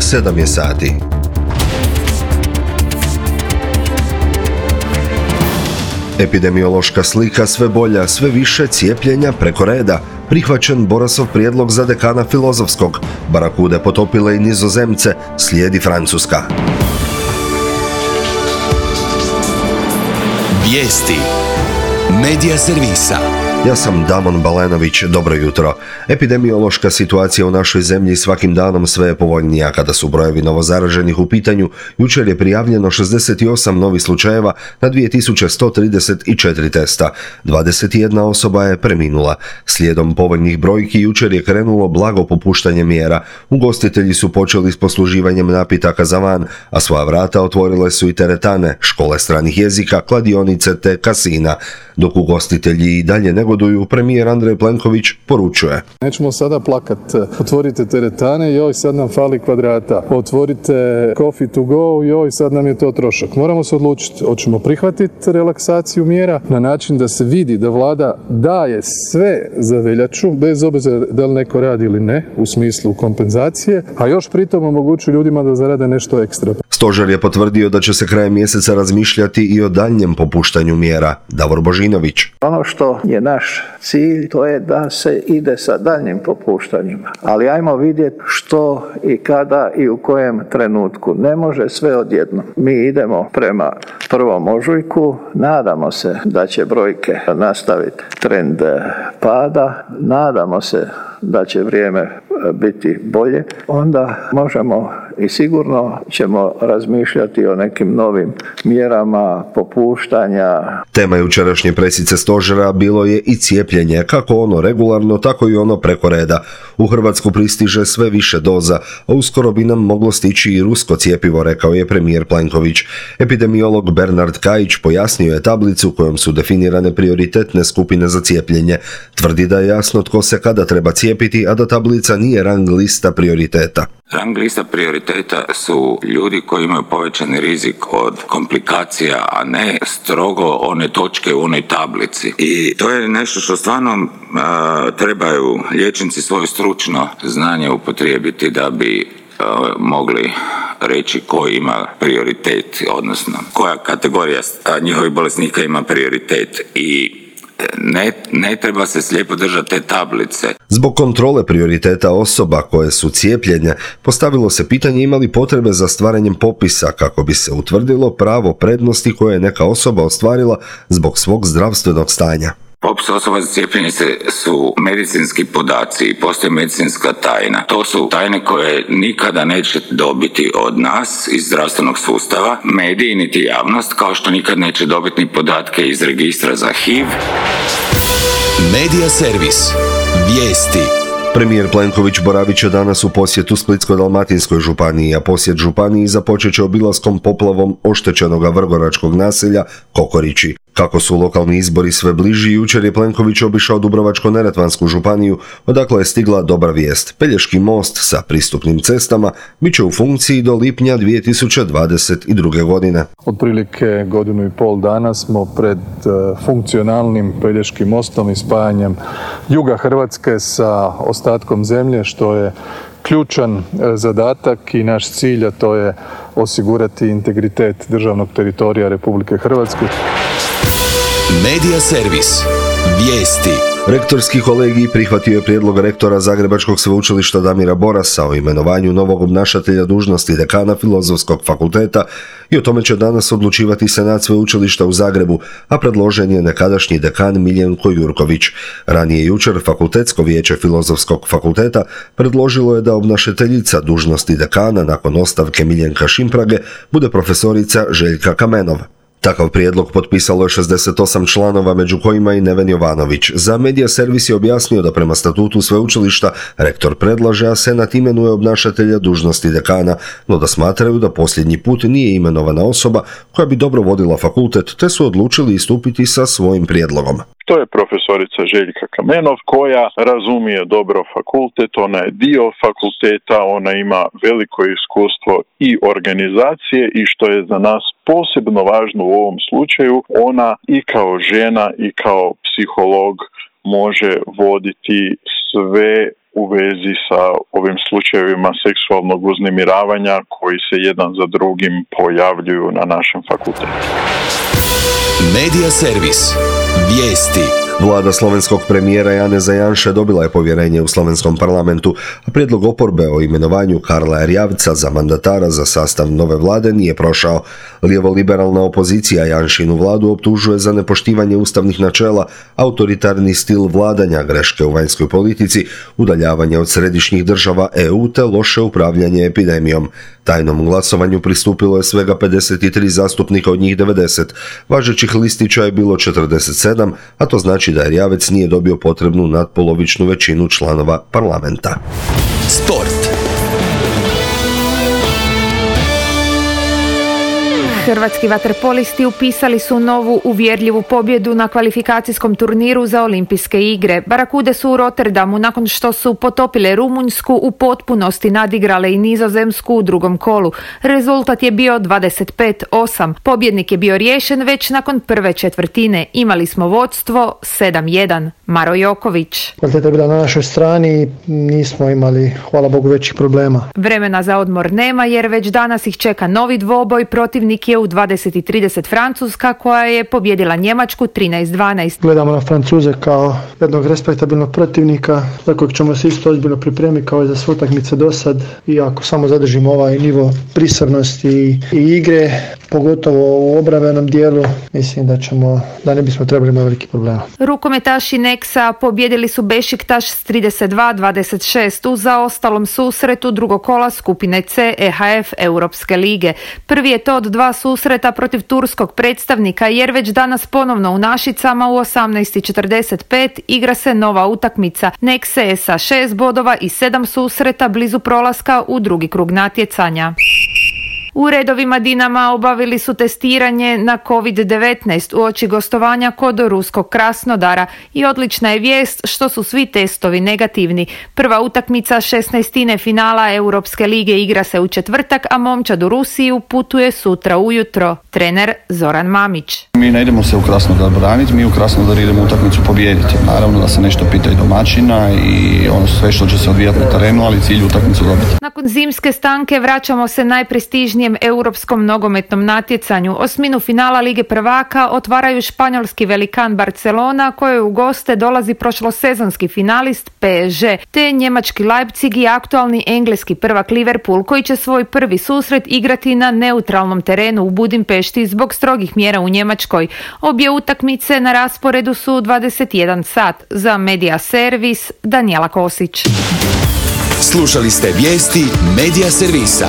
7 je sati. Epidemiološka slika sve bolja, sve više cijepljenja preko reda. Prihvaćen Borasov prijedlog za dekana Filozofskog. Barakude potopile i Nizozemce, slijedi Francuska. Vijesti Medija servisa. Ja sam Damon Balenović, dobro jutro. Epidemiološka situacija u našoj zemlji svakim danom sve je povoljnija. Kada su brojevi novozaraženih u pitanju, jučer je prijavljeno 68 novih slučajeva na 2134 testa. 21 osoba je preminula. Slijedom povoljnih brojki jučer je krenulo blago popuštanje mjera. Ugostitelji su počeli s posluživanjem napitaka za van, a svoja vrata otvorile su i teretane, škole stranih jezika, kladionice te kasina. Dok ugostitelji i dalje negoduju, premijer Andrej Plenković poručuje: nećemo sada plakat. Otvorite teretane, joj sad nam fali kvadrata. Otvorite coffee to go, joj sad nam je to trošak. Moramo se odlučiti, hoćemo prihvatiti relaksaciju mjera na način da se vidi da vlada daje sve za veljaču, bez obzira da li neko radi ili ne, u smislu kompenzacije, a još pritom omogući ljudima da zarade nešto ekstra. Stožer je potvrdio da će se krajem mjeseca razmišljati i o daljnjem popuštanju mjera. Davor Božinović. Ono što je naš cilj, to je da se ide sa daljnjim popuštanjima. Ali ajmo vidjeti što i kada i u kojem trenutku. Ne može sve odjednom. Mi idemo prema 1. ožujku, nadamo se da će brojke nastaviti trend pada, nadamo se da će vrijeme biti bolje, onda možemo i sigurno ćemo razmišljati o nekim novim mjerama popuštanja. Tema jučerašnje presice stožera bilo je i cijepljenje, kako ono regularno, tako i ono preko reda. U Hrvatsku pristiže sve više doza, a uskoro bi nam moglo stići i rusko cjepivo, rekao je premijer Plenković. Epidemiolog Bernard Kajić pojasnio je tablicu kojom su definirane prioritetne skupine za cijepljenje. Tvrdi da je jasno tko se kada treba cijepiti, a da tablica nije rang lista prioriteta. Rang lista prioriteta su ljudi koji imaju povećani rizik od komplikacija, a ne strogo one točke u onoj tablici. I to je nešto što stvarno trebaju liječnici svoje stručno znanje upotrijebiti da bi mogli reći ko ima prioritet, odnosno koja kategorija njihovih bolesnika ima prioritet. I ne treba se slijepo držati te tablice. Zbog kontrole prioriteta osoba koje su cijepljenje, postavilo se pitanje ima li potrebe za stvaranjem popisa kako bi se utvrdilo pravo prednosti koje je neka osoba ostvarila zbog svog zdravstvenog stanja. Popis osoba za cijepljenje su medicinski podaci i postoji medicinska tajna. To su tajne koje nikada neće dobiti od nas iz zdravstvenog sustava, mediji niti javnost, kao što nikad neće dobiti ni podatke iz registra za HIV. Medija servis. Vijesti. Premijer Plenković boravit će danas u posjetu Splitsko-dalmatinskoj županiji, a posjet županiji započet će obilaskom poplavom oštećenoga vrgoračkog naselja Kokorići. Kako su lokalni izbori sve bliži, jučer je Plenković obišao Dubrovačko-neretvansku županiju, odakle je stigla dobra vijest. Pelješki most sa pristupnim cestama bit će u funkciji do lipnja 2022. godine. Otprilike 1,5 dana smo pred funkcionalnim Pelješkim mostom i spajanjem juga Hrvatske sa ostatkom zemlje, što je ključan zadatak i naš cilj, a to je osigurati integritet državnog teritorija Republike Hrvatske. Medija servis. Vijesti. Rektorski kolegij prihvatio je prijedlog rektora Zagrebačkog sveučilišta Damira Borasa o imenovanju novog obnašatelja dužnosti dekana Filozofskog fakulteta i o tome će danas odlučivati Senat sveučilišta u Zagrebu, a predložen je nekadašnji dekan Miljenko Jurković. Ranije jučer Fakultetsko vijeće Filozofskog fakulteta predložilo je da obnašateljica dužnosti dekana nakon ostavke Miljenka Šimprage bude profesorica Željka Kamenov. Takav prijedlog potpisalo je 68 članova, među kojima i Neven Jovanović. Za Medija servis je objasnio da prema statutu sveučilišta rektor predlaže, a senat imenuje obnašatelja dužnosti dekana, no da smatraju da posljednji put nije imenovana osoba koja bi dobro vodila fakultet, te su odlučili istupiti sa svojim prijedlogom. To je profesorica Željka Kamenov koja razumije dobro fakultet, ona je dio fakulteta, ona ima veliko iskustvo i organizacije i što je za nas posebno važno u ovom slučaju, ona i kao žena i kao psiholog može voditi sve u vezi sa ovim slučajevima seksualnog uznemiravanja koji se jedan za drugim pojavljuju na našem fakultetu. Medija servis. Vijesti. Vlada slovenskog premijera Janeza Janše dobila je povjerenje u slovenskom parlamentu, a prijedlog oporbe o imenovanju Karla Erjavca za mandatara za sastav nove vlade nije prošao. Lijevo-liberalna opozicija Janšinu vladu optužuje za nepoštivanje ustavnih načela, autoritarni stil vladanja, greške u vanjskoj politici, udaljavanje od središnjih država EU te loše upravljanje epidemijom. Tajnom glasovanju pristupilo je svega 53 zastupnika od njih 90. Važećih listića je bilo 47, a to znači da Erjavec nije dobio potrebnu nadpolovičnu većinu članova parlamenta. Sport. Hrvatski vaterpolisti upisali su novu uvjerljivu pobjedu na kvalifikacijskom turniru za olimpijske igre. Barakude su u Rotterdamu nakon što su potopile Rumunjsku u potpunosti nadigrale i Nizozemsku u drugom kolu. Rezultat je bio 25-8. Pobjednik je bio riješen već nakon prve četvrtine. Imali smo vodstvo 7-1. Maro Joković. Kvaliteta je bila na našoj strani i nismo imali, hvala Bogu, većih problema. Vremena za odmor nema jer već danas ih čeka novi dvoboj. Protivnik je u 20:30 Francuska koja je pobjedila Njemačku 13-12. Gledamo na Francuze kao jednog respektabilnog protivnika za kojeg ćemo se isto ozbiljno pripremiti kao i za sve utakmice do sad. I ako samo zadržimo ovaj nivo prisrnosti i igre, pogotovo u obrambenom dijelu, mislim da ne bismo trebali imati veliki problema. Rukometaši Neksa pobjedili su Bešiktaš s 32-26 u zaostalom susretu drugog kola skupine C EHF Europske lige. Prvi je to od dva susreta protiv turskog predstavnika jer već danas ponovno u Našicama u 18:45 igra se nova utakmica. Nekse je sa 6 bodova i 7 susreta blizu prolaska u drugi krug natjecanja. U redovima Dinama obavili su testiranje na COVID-19 uoči gostovanja kod ruskog Krasnodara i odlična je vijest što su svi testovi negativni. Prva utakmica 16. finala Europske lige igra se u četvrtak, a momčad u Rusiju putuje sutra ujutro. Trener Zoran Mamić. Mi ne idemo se u Krasnodar braniti, mi u Krasnodar idemo utakmicu pobijediti. Naravno da se nešto pita i domaćina i ono sve što će se odvijati na terenu, ali cilj utakmicu dobiti. Nakon zimske stanke vraćamo se najprestižnijem europskom nogometnom natjecanju. Osminu finala Lige prvaka otvaraju španjolski velikan Barcelona, kojoj u goste dolazi prošlosezonski finalist PSG, te njemački Leipzig i aktualni engleski prvak Liverpool, koji će svoj prvi susret igrati na neutralnom terenu u Budimpešti zbog strogih mjera u Njemačkoj. Obje utakmice na rasporedu su 21 sat. Za Medija servis Danijela Kosić. Slušali ste vijesti Medija servisa.